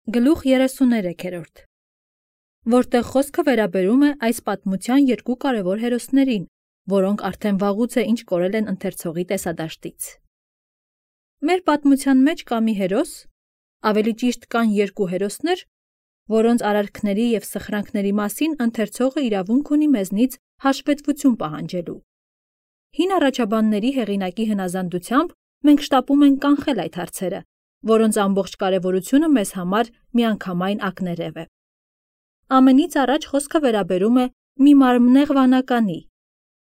Գլուխ 33, որտեղ խոսքը վերաբերում է այս պատմության երկու կարևոր հերոսներին, որոնք արդեն վաղուց է ինչ կորել են ընթերցողի տեսադաշտից։ Մեր պատմության մեջ կա մի հերոս, ավելի ճիշտ կան երկու հերոսներ, որոնց արարքների և սխրանքների մասին ընթերցողը իրավունք ունի մեզնից հաշվետվություն պահանջելու։ Հին առաջաբանների հեղինակի հնազանդությամբ մենք շտապում ենք կանխել այդ հարցերը, որոնց ամբողջ կարևորությունը մեզ համար միանգամայն ակներև է։ Ամենից առաջ խոսքը վերաբերում է մի մարմնեղ վանականի,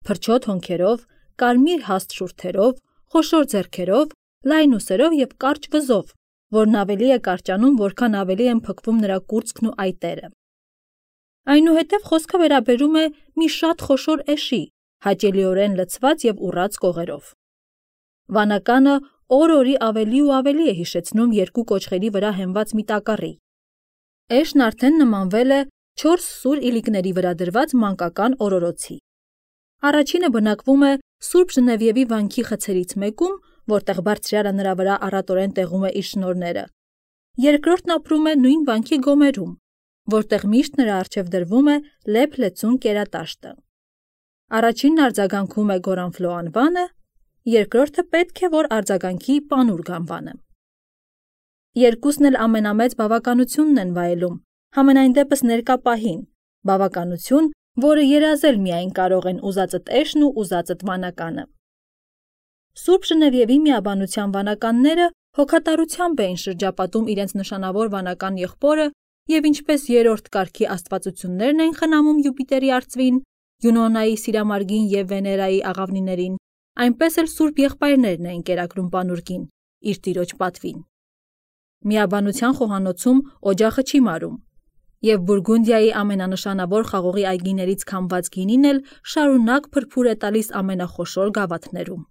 փրչոտ հոնքերով, կարմիր հաստ շուրթերով, խոշոր ձեռքերով, լայն ուսերով և կարճ վզով, որն ավելի է կարճանում, որքան ավելի են փքվում նրա կուրծքն ու այտերը։ Այնուհետև խոսքը վերաբերում է մի շատ խոշոր էշի, հաճելիորեն լցված և ուռած կողերով։ Վանականը օր-օրի ավելի ու ավելի է հիշեցնում երկու կոճղերի վրա հենված մի տակառի։ Էշն արդեն նմանվել է 4 սուր իլիկների վրա դրված մանկական օրորոցի։ Առաջինը բնակվում է Սուրբ Ժնևիևի վանքի խցերից մեկում, որտեղ բարձրյալը նրա վրա առատորեն տեղում է իր շնորհները։ Երկրորդն ապրում է նույն վանքի գոմերում, որտեղ միշտ նրա առջև դրվում է լեփ-լեցուն կերատաշտը։ Առաջինն արձագանքում է Գորանֆլո անվանը, երկրորդը պետք է, որ արձագանքի Պանուր անվանը։ Երկուսն էլ ամենամեծ բավականությունն են վայելում, համենայն դեպս ներկա պահին, բավականություն, որը երազել միայն կարող են ուզածդ էշն ու ուզածդ վանականը։ Սուրբ Ժնևիևի միաբանության վանականները հոգատարությամբ էին շրջապատում իրենց նշանավոր վանական եղբորը և ինչպես երրորդ կարգի աստվածություններն էին խնամում Յուպիտերի արծվին, Յունոնայի Սիրամարգին և Վեներայի աղավնիներին, այնպես էլ սուրբ եղբայրներն էին կերակրում Պանուրկին, իր տիրոջ պատվին։ Միաբանության խոհանոցում օջախը չի մարում, և Բուրգունդիայի ամենանշանավոր խաղողի այգիներից քամված գինին էլ շարունակ փրփուր է տալիս ամենախոշոր գավաթներում։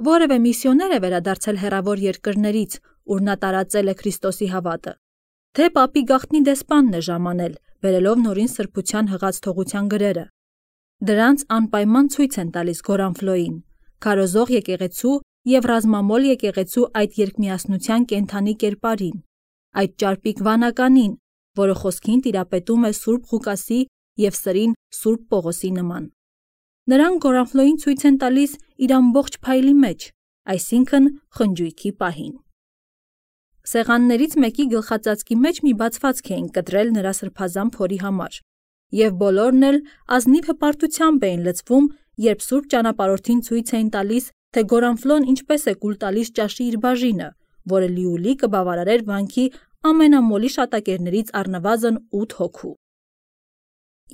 Որևէ միսիոներ է վերադարձել հեռավոր երկրներից, ուր նա տարածել է Քրիստոսի հավատը, թե պապի գաղտնի դեսպանն է ժամանել, բերելով նորին սրբության հղած թողության գրերը։ Դրանց անպայման ցույց են տալիս Գորանֆլոյին, քարոզող եկեղեցու և ռազմամոլ եկեղեցու այդ երկմիասնության կենդանի կերպարին, այդ ճարպիկ վանականին, որը խոսքին տիրապետում է Սուրբ Ղուկասի և սրին Սուրբ Պողոսի նման։ Նրանք Գորանֆլոյին ցույց են տալիս իր ամբողջ փայլի մեջ, այսինքն խնջույքի պահին։ Սեղաններից մեկի գլխածածկի մեջ մի բացվածք էին կտրել նրա սրբազան փորի համար, և բոլորն էլ ազնիվ հպարտությամբ էին լցվում, երբ Սուրբ Ճանապարհորդին ցույց էին տալիս, թե Գորանֆլոն ինչպես է կուլ տալիս ճաշի իր բաժինը, որը լիուլի կբավարարեր վանքի ամենամոլի շատակերներից առնվազն 8 հոգու։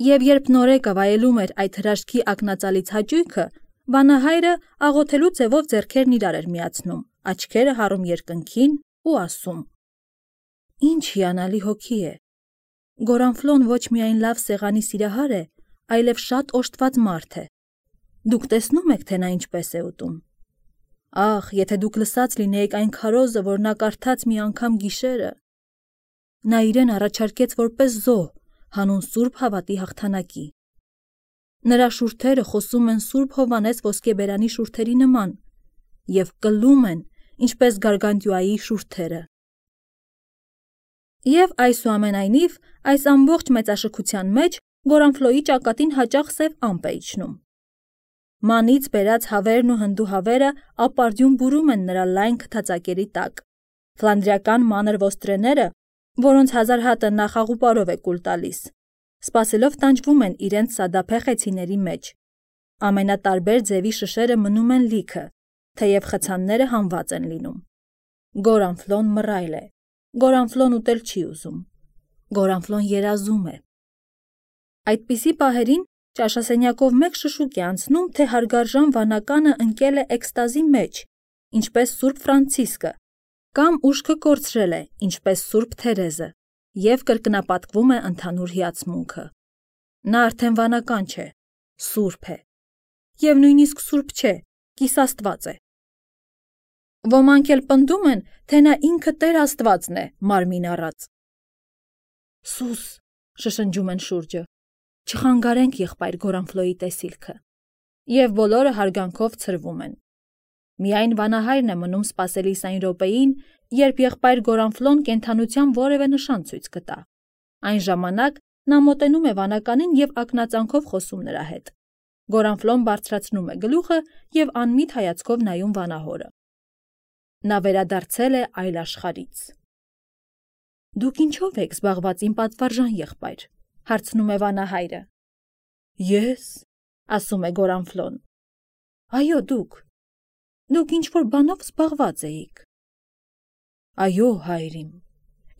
Եվ երբ նորեկը վայելում էր այդ հրաշքի ակնածալից հաճույքը, վանահայրը աղոթելու ձևով ձեռքերն իրար էր միացնում, աչքերը հառում երկնքին ու ասում. «Ինչ հիանալի հոգի է։ Գորանֆլոն ոչ միայն լավ սեղանի սիրահար է, այլև շատ օժտված մարդ է։ Դուք տեսնո՞ւմ եք, թե նա ինչպես է ուտում։ Ախ, եթե դուք լսած լինեիք այն քարոզը, որ նա կարդաց մի անգամ գիշերը։ Նա իրեն առաջարկեց որպես զոհ, հանուն Սուրբ Հավատի հաղթանակի։ Նրա շուրթերը խոսում են Սուրբ Հովհաննես ոսկեբերանի շուրթերի նման և կլում են, ինչպես Գարգանտյուայի շուրթերը»։ Եվ այսուամենայնիվ, այս ամբողջ մեծաշքության մեջ Գորանֆլոյի ճակատին հաճախ սև ամպ է իջնում։ Մանից բերած հավերն ու հնդուհավերը ապարդյուն բուրում են նրա լայն քթածակերի տակ։ Ֆլանդրիական մանր ոստրեները, որոնց 1000 հատը նա խաղուպարով է կուլ տալիս, սպասելով տանջվում են իրենց սադափե խեցիների մեջ։ Ամենատարբեր ձևի շշերը մնում են լիքը, թեև խցանները հանված են լինում։ Գորանֆլոն մռայլ է։ Գորանֆլոն ուտել չի ուզում։ Գորանֆլոն երազում է։ Այդպիսի պահերին ճաշասենյակով մեկ շշուկ է անցնում, թե հարգարժան վանականը ընկել է էքստազի մեջ, ինչպես Սուրբ Ֆրանցիսկը, կամ ուշքը կորցրել է, ինչպես Սուրբ Թերեզը, և կրկնապատկվում է ընդհանուր հիացմունքը։ Նա արդեն վանական չէ, սուրբ է, և նույնիսկ սուրբ չէ, կիսաստված է։ Ոմանք էլ պնդում են, թե նա ինքը Տեր Աստվածն է, մարմին առած։ Սուս, շշնջում են շուրջը, չխանգարենք եղբայր Գորանֆլոյի տեսիլքը, և բոլորը հարգանքով ցրվում են։ Միայն վանահայրն է մնում սպասելիս այն րոպեին, երբ եղբայր Գորանֆլոն կենդանության որևէ նշան ցույց կտա։ Այն ժամանակ նա մոտենում է վանականին և ակնածանքով խոսում նրա հետ։ Գորանֆլոն բարձրացնում է գլուխը և անմիտ հայացքով նայում վանահորը։ Նա վերադարձել է այլ աշխարհից։ Դուք ինչով եք զբաղված իմ պատվարժան եղբայր, հարցնում է վանահայրը։ Ես, ասում է Գորանֆլոն։ Այո, դուք ինչ-որ բանով զբաղված էիք։ Այո, հայր իմ,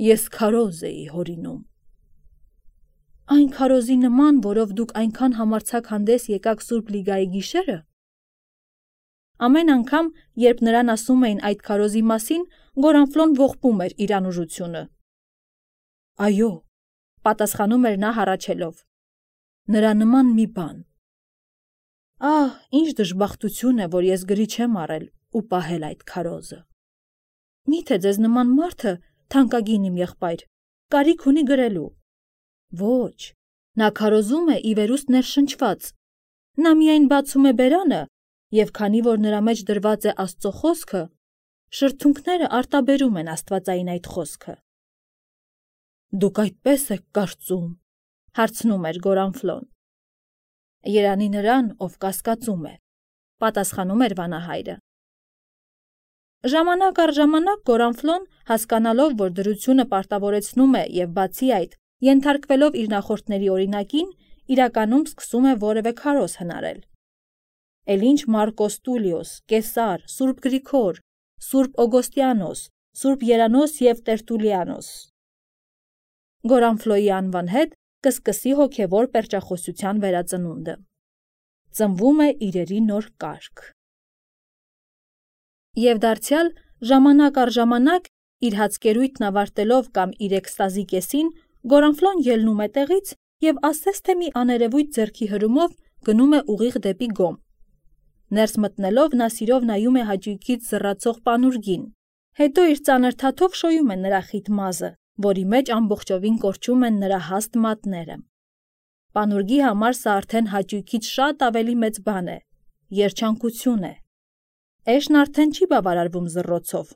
ես քարոզ էի հորինում։ Այն քարոզի նման, որով դուք այնքան համարձակ հանդես եկաք Սուրբ Լիգայի գիշերը։ Ամեն անգամ, երբ նրան ասում էին այդ քարոզի մասին, Գորանֆլոն ողբում էր իր անուժությունը։ Այո, պատասխանում էր նա հառաչելով։ Նրա նման մի բան։ Ահ, ինչ դժբախտություն է, որ ես գրի չեմ առել ու պահել այդ քարոզը։ Միթե ձեզ նման մարդը, թանկագին իմ եղբայր, կարիք ունի գրելու։ Ոչ, նա քարոզում է ի վերուստ ներշնչված։ Նա միայն բացում է բերանը, և քանի որ նրա մեջ դրված է Աստծո խոսքը, շրթունքները արտաբերում են աստվածային այդ խոսքը։ Դուք այդպես եք կարծում, հարցնում էր Գորանֆլոն։ Երանի նրան, ով կասկածում է, պատասխանում էր վանահայրը։ Ժամանակ առ ժամանակ Գորանֆլոն, հասկանալով, որ դրությունը պարտավորեցնում է և բացի այդ, ենթարկվելով իր նախորդների օրինակին, իրականում սկսում է որևէ քարոզ հնարել։ Էլ ինչ Մարկոս Տուլիոս, Կեսար, Սուրբ Գրիգոր, Սուրբ Օգոստիանոս, Սուրբ Երանոս և Տերտուլիանոս։ Գորանֆլոյի անվան հետ կսկսի հոգևոր պերճախոսության վերածնունդը։ Ծնվում է իրերի նոր կարգ։ Եվ դարձյալ, ժամանակ առ ժամանակ, իր հացկերույթն ավարտելով կամ իր էքստազի կեսին, Գորանֆլոն ելնում է տեղից և ասես թե մի աներևույթ ձեռքի հրումով գնում է ուղիղ դեպի գոմ։ Ներս մտնելով նա սիրով նայում է հաճույքից զռացող պանուրգին, հետո իր ծանր թաթով շոյում է նրա խիտ մազը, որի մեջ ամբողջովին կորչում են նրա հաստ մատները։ Պանուրգի համար սա արդեն հաճույքից շատ ավելի մեծ բան է, երջանկություն է։ Էշն արդեն չի բավարարվում զռոցով,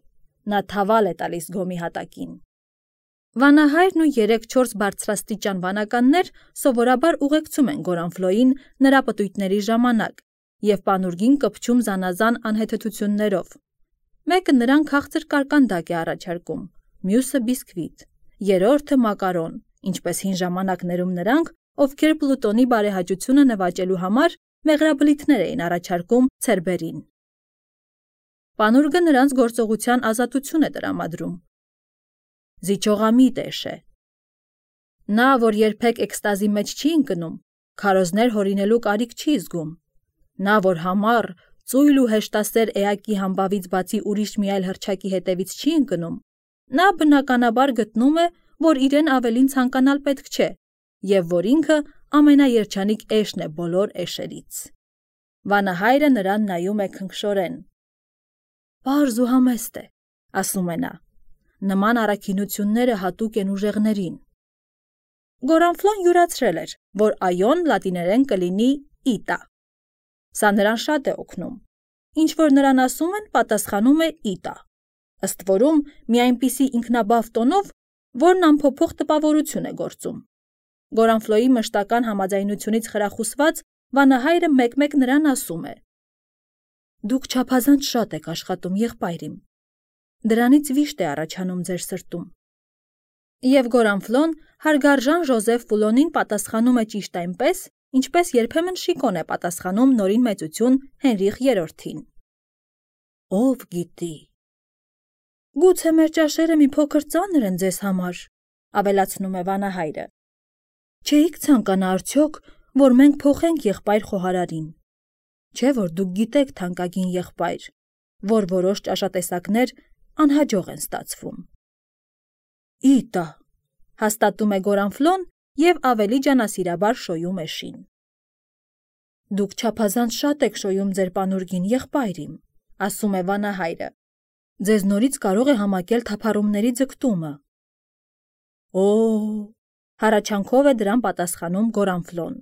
նա թավալ է տալիս գոմի հատակին։ Վանահայրն ու 3-4 բարձրաստիճան վանականներ սովորաբար ուղեկցում են Գորանֆլոյին նրա պտույտների ժամանակ և պանուրգին կպչում զանազան անհեթեթություններով։ Մեկը նրան քաղցր կարկանդակ է առաջարկում, մյուսը բիսկվիտ, երրորդը մակարոն, ինչպես հին ժամանակներում նրանք, ովքեր Պլուտոնի բարեհաճությունը նվաճելու համար մեղրաբլիթներ էին առաջարկում ցերբերին։ Պանուրգը նրանց գործողության ազատություն է տրամադրում։ Զիջողամիտ էշ է։ Նա, որ երբեք էքստազի մեջ չի ընկնում, քարոզներ հորինելու կարիք չի զգում։ Նա, որ համառ, ծույլ ու հեշտասեր էակի համբավից բացի ուրիշ մի այլ հռչակի հետևից չի ընկնում, նա բնականաբար գտնում է, որ իրեն ավելին ցանկանալ պետք չէ, և որ ինքը ամենաերջանիկ էշն է բոլոր էշերից։ Վանահայրը նրան նայում է քնքշորեն։ Պարզ ու համեստ է, ասում է նա։ Նման առաքինությունները հատուկ են ուժեղներին։ Գորանֆլոն յուրացրել էր, որ այոն լատիներեն կլինի իտա։ Սա նրան շատ է օգնում։ Ինչ որ նրան ասում են, պատասխանում է իտա։ Ըստ որում մի այնպիսի ինքնաբավ տոնով, որն անփոփոխ տպավորություն է գործում։ Գորանֆլոյի մշտական համաձայնությունից խրախուսված վանահայրը մեկ-մեկ նրան ասում է. Դուք չափազանց շատ եք աշխատում, եղբայր իմ։ Դրանից վիշտ է առաջանում ձեր սրտում։ Եվ Գորանֆլոն հարգարժան Ժոզեֆ Ֆուլոնին պատասխանում է ճիշտ այնպես, ինչպես երբեմն Շիկոն է պատասխանում նորին մեծություն Հենրիխ III-ին։ Ով գիտի։ Գուցե մեր ճաշերը մի փոքր ծանր են ձեզ համար, ավելացնում է վանահայրը։ Չէիք ցանկանա արդյոք, որ մենք փոխենք եղբայր խոհարարին։ Չէ՞ որ դուք գիտեք, թանկագին եղբայր, որ որոշ ճաշատեսակներ անհաջող են ստացվում։ Իտա, հաստատում է Գորանֆլոն և ավելի ջանասիրաբար շոյում է շին։ Դուք չափազանց շատ եք շոյում ձեր պանուրգին, եղբայր իմ, ասում է վանահայրը։ Ձեզ նորից կարող է համակել թափառումների ձգտումը։ Օ, հառաչանքով է դրան պատասխանում Գորանֆլոն։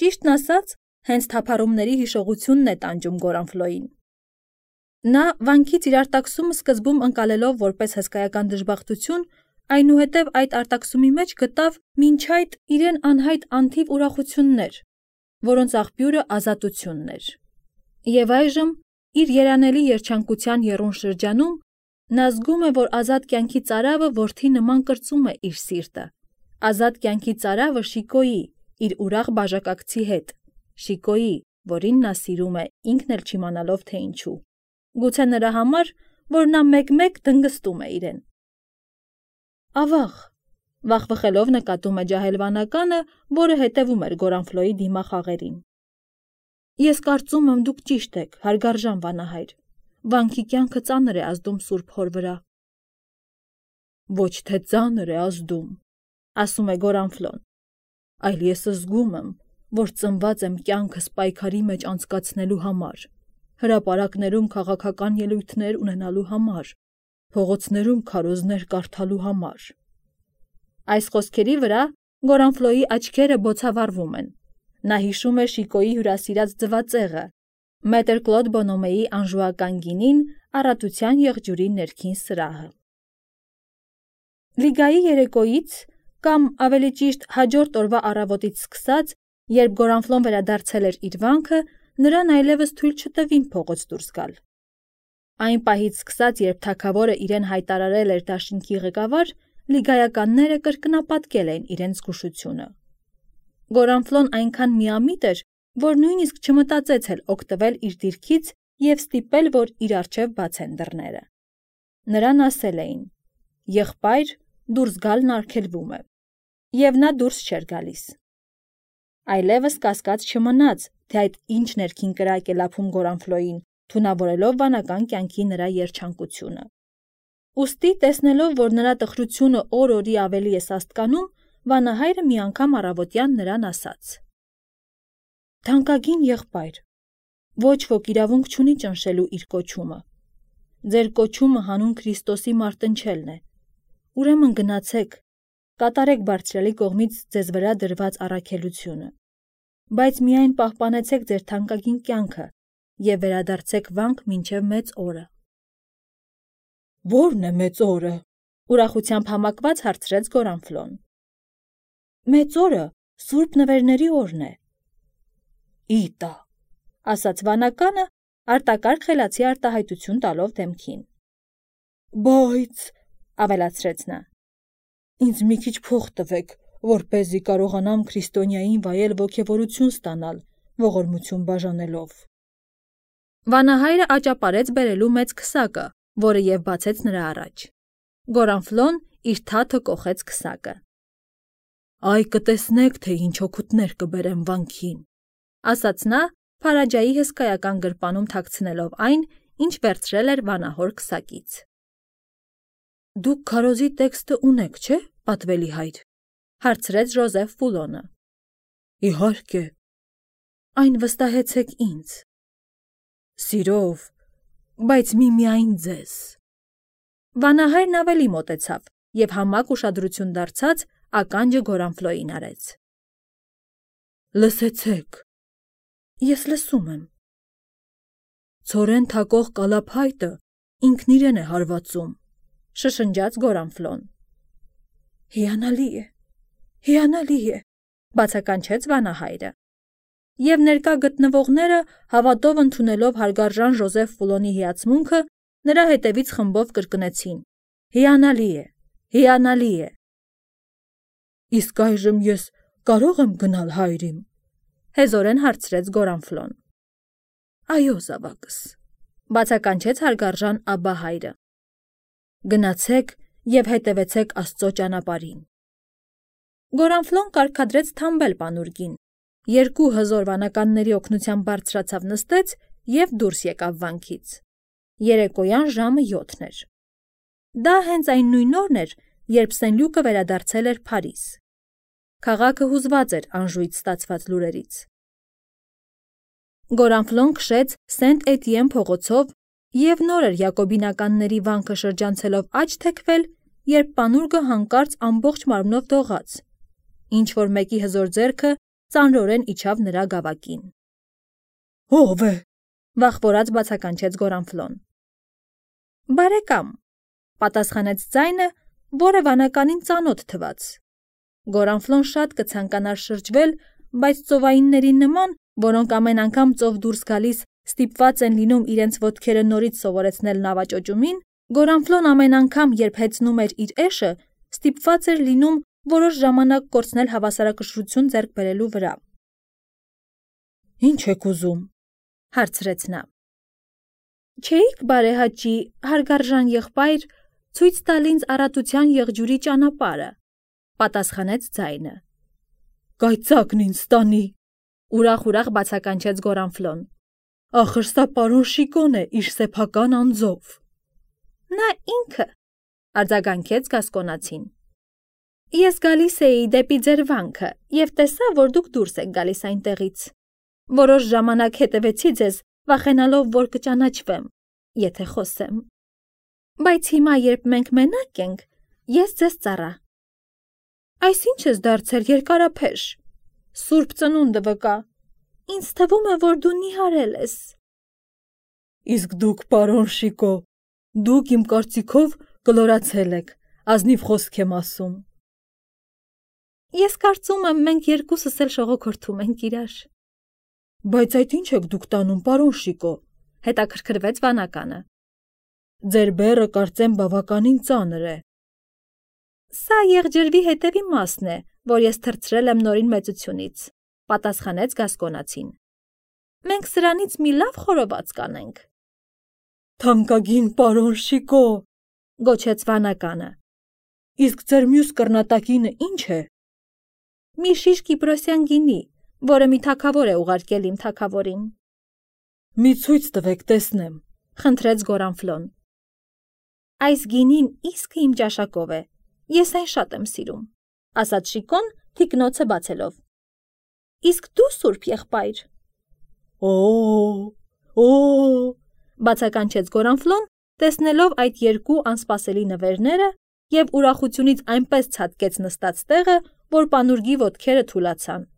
Ճիշտն ասած, հենց թափառումների հիշողությունն է տանջում Գորանֆլոյին։ Նա վանքից իր արտաքսումը սկզբում ընկալելով որպես հսկայական դժբախտություն, այնուհետև այդ արտաքսումի մեջ գտավ մինչ այդ իրեն անհայտ անթիվ ուրախություններ, որոնց աղբյուրը ազատությունն էր։ Եվ այժմ, իր երանելի երջանկության եռուն շրջանում, նա զգում է, որ ազատ կյանքի ծարավը որդի նման կրծում է իր սիրտը։ Ազատ կյանքի ծարավը Շիկոյի, իր ուրախ բաժակակցի հետ, Շիկոյի, որին նա սիրում է, ինքն էլ չիմանալով թե ինչու։ Գուցե նրա համար, որ նա մեկ-մեկ դնգստում է իրեն։ Ավաղ, վախվխելով նկատում է ջահելվանականը, որը հետևում էր Գորանֆլոյի դիմախաղերին։ Ես կարծում եմ դուք ճիշտ եք, հարգարժան վանահայր, վանքի կյանքը ծանր է ազդում Սուրբ Հոր վրա։ Ոչ թե ծանր է ազդում, ասում է Գորանֆլոն, այլ ես զգում եմ, որ ծնված եմ կյանքս պայքարի մեջ անցկացնելու համար, հրապարակներում քաղաքական ելույթներ ունենալու համար, փողոցներում քարոզներ կարդալու համար։ Այս խոսքերի վրա Գորանֆլոյի աչքերը բոցավառվում են։ Նա հիշում է Շիկոյի հյուրասիրած ձվածեղը, մետր Կլոդ Բոնոմեի անժուական գինին, առատության եղջյուրի ներքին սրահը։ Լիգայի երեկոյից, կամ ավելի ճիշտ հաջորդ օրվա առավոտից սկսած, երբ Գորանֆլոն վերադարձել էր իր վանքը, նրան այլևս թույլ չտվին փողոց դուրս գալ։ Այն պահից սկսած, երբ թագավորը իրեն հայտարարել էր դաշինքի ղեկավար, լիգայականները կրկնապատկել էին իրենց զգուշությունը։ Գորանֆլոն այնքան միամիտ էր, որ նույնիսկ չմտածեց էլ օգտվել իր դիրքից և ստիպել, որ իր առջև բացեն դռները։ Նրան ասել էին. «Եղբայր, դուրս գալն արգելվում է», և նա դուրս չէր գալիս։ Այլևս կասկած չմնաց, թե այդ ինչ ներքին կրակ է լափում Գորանֆլոյին, թունավորելով վանական կյանքի նրա երջանկությունը։ Ուստի, տեսնելով, որ նրա տխրությունը օր-օրի ավելի է սաստկանում, վանահայրը մի անգամ առավոտյան նրան ասաց. «Թանկագին եղբայր, ոչ ոք իրավունք չունի ճնշելու իր կոչումը։ Ձեր կոչումը հանուն Քրիստոսի մարտնչելն է։ Ուրեմն գնացեք, կատարեք բարձրյալի կողմից ձեզ վրա դրված առաքելությունը, բայց միայն պահպանեցեք ձեր թանկագին կյանքը և վերադարձեք վանք մինչև մեծ օրը»։ «Ո՞րն է մեծ օրը», ուրախությամբ համակված հարցրեց Գորանֆլոն։ «Մեծ օրը Սուրբ Նվերների օրն է»։ «Իտա», ասաց վանականը, արտակարգ խելացի արտահայտություն տալով դեմքին։ «Բայց», ավելացրեց նա, «ինձ մի քիչ փող տվեք, որպեսզի կարողանամ քրիստոնյային վայել ոգևորություն ստանալ, ողորմություն բաժանելով»։ Վանահայրը աճապարեց բերելու մեծ քսակը, որը և բացեց նրա առաջ։ Գորանֆլոն իր թաթը կոխեց քսակը։ «Այ կտեսնեք, թե ինչ օգուտներ կբերեմ վանքին», ասաց նա, Փարաջայի հսկայական գրպանում թաքցնելով այն, ինչ վերցրել էր վանահոր քսակից։ «Դուք քարոզի տեքստը ունեք, չէ՞, պատվելի հայր», հարցրեց Ժոզեֆ Ֆուլոնը։ «Իհարկե»։ «Այն վստահեցեք ինձ»։ «Սիրով, բայց միմիայն ձեզ»։ Վանահայրն ավելի մոտեցավ և համակ ուշադրություն դարձած ականջը Գորանֆլոյին արեց։ «Լսեցեք»։ «Ես լսում եմ»։ «Ցորեն թակող կալափայտը ինքն իրեն է հարվածում», շշնջաց Գորանֆլոն։ «Հիանալի է, հիանալի է», բացականչեց վանահայրը։ Եվ ներկա գտնվողները, հավատով ընդունելով հարգարժան Ժոզեֆ Ֆուլոնի հիացմունքը, նրա հետևից խմբով կրկնեցին. «Հիանալի է, հիանալի է»։ «Իսկ այժմ ես կարո՞ղ եմ գնալ հայր իմ», հեզորեն հարցրեց Գորանֆլոն։ «Այո, զավակս», բացականչեց հարգարժան Աբբա հայրը։ «Գնացեք և հետևեցեք Աստծո ճանապարհին»։ Գորանֆլոն կարգադրեց թամբել պանուրգին, երկու հզոր վանականների օգնությամբ բարձրացավ նստեց և դուրս եկավ վանքից։ Երեկոյան ժամը 7 էր։ Դա հենց այն նույն օրն էր, երբ Սենլյուկը վերադարձել էր Փարիզ։ Քաղաքը հուզված էր Անժուից ստացված լուրերից։ Գորանֆլոն քշեց Սենտ Էտիեն փողոցով և նոր էր յակոբինականների վանքը շրջանցելով աջ թեքվել, երբ պանուրգը հանկարծ ամբողջ մարմնով դողաց, ինչ-որ մեկի հզոր ձեռքը ծանրորեն իջավ նրա գավակին։ «Ո՞վ է», վախվորած բացականչեց Գորանֆլոն։ Բարեկամ, պատասխանեց ձայնը, որը վանականին ծանոթ թվաց։ Գորանֆլոն շատ կցանկանար շրջվել, բայց ծովայինների նման, որոնք ամեն անգամ ծով դուրս գալիս ստիպված են լինում իրենց ոտքերը նորից սովորեցնել նավաճոճումին, Գորանֆլոն ամեն անգամ, երբ հեծնում էր իր էշը, ստիպված էր լինում որոշ ժամանակ կորցնել հավասարակշռություն ձեռք բերելու վրա։ Ինչ եք ուզում, հարցրեց նա։ Չէիք բարեհաճի, հարգարժան եղբայր, ցույց տալ ինձ առատության եղջյուրի ճանապարհը, պատասխանեց ձայնը։ Կայծակն ինձ տանի, ուրախ բացականչեց Գորանֆլոն։ Ախր սա պարոն Շիկոն է իր սեփական անձով։ Նա ինքը, արձագանքեց գասկոնացին։ Ես գալիս էի դեպի ձեր վանքը և տեսա, որ դուք դուրս եք գալիս այնտեղից։ Որոշ ժամանակ հետևեցի ձեզ, վախենալով, որ կճանաչվեմ, եթե խոսեմ։ Բայց հիմա, երբ մենք մենակ ենք, ես ձեզ ծառա։ Այսինչ ես դարձել երկարափեշ։ Սուրբ ծնունդը վկա։ Ինձ թվում է, որ դու նիհարել ես։ Իսկ դուք, պարոն Շիկո, դուք իմ կարծիքով կլորացել եք, ազնիվ խոսք եմ ասում։ Ես կարծում եմ, մենք երկուսս էլ շողոքորթում ենք իրար։ Բայց այդ ինչ եք դուք տանում, պարոն Շիկո, հետաքրքրվեց վանականը։ Ձեր բեռը կարծեմ բավականին ծանր է։ Սա եղջրվի հետևի մասն է, որ ես թռցրել եմ նորին մեծությունից, պատասխանեց գասկոնացին։ Մենք սրանից մի լավ խորոված կանենք։ Թանկագին պարոն Շիկո, գոչեց վանականը։ Իսկ ձեր մյուս կռնատակինը ինչ է։ Մի շիշ կիպրոսյան գինի, որը մի թագավոր է ուղարկել իմ թագավորին։ Մի ցույց տվեք տեսնեմ, խնդրեց Գորանֆլոն։ Այս գինին իսկը իմ ճաշակով է, ես այն շատ եմ սիրում, ասաց Շիկոն թիկնոցը բացելով։ Իսկ դու սուրբ եղբայր։ Օ, բացականչեց Գորանֆլոն, տեսնելով այդ երկու անսպասելի նվերները և ուրախությունից այնպես ցատկեց նստած տեղը, որ պանուրգի ոտքերը թուլացան։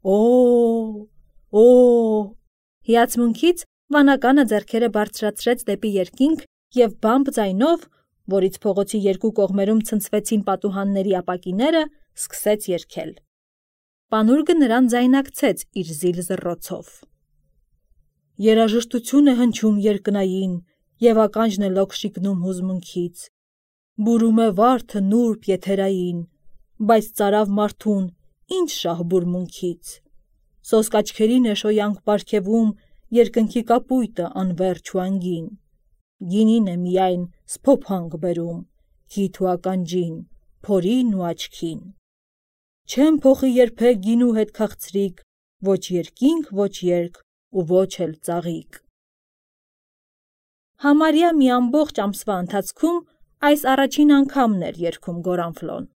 Օ, հիացմունքից վանականը ձեռքերը բարձրացրեց դեպի երկինք և բամբ ձայնով, որից փողոցի երկու կողմերում ցնցվեցին պատուհանների ապակիները, սկսեց երգել։ Պանուրգը նրան ձայնակցեց իր զիլ զռռոցով։ Երաժշտություն է հնչում երկնային և ականջն է լոկ շիկնում հուզմունքից։ Բուրում է վարդը նուրբ եթերային, բայց ծարավ մարդուն ինչ շահ բուրմունքից։ Սոսկ աչքերին է շոյանք պարգևում երկնքի կապույտը անվերջ ու անգին։ Գինին է միայն սփոփանք բերում, հիթ ու ականջին, փորին ու աչքին։ Չեմ փոխի երբեք գինու հետ քաղցրիկ, ոչ երկինք, ոչ երկ ու ոչ էլ ծաղիկ։ Համարյա մի ամբողջ ամսվա ընթացքում այս առաջին անգամն էր երգում Գորանֆլոն։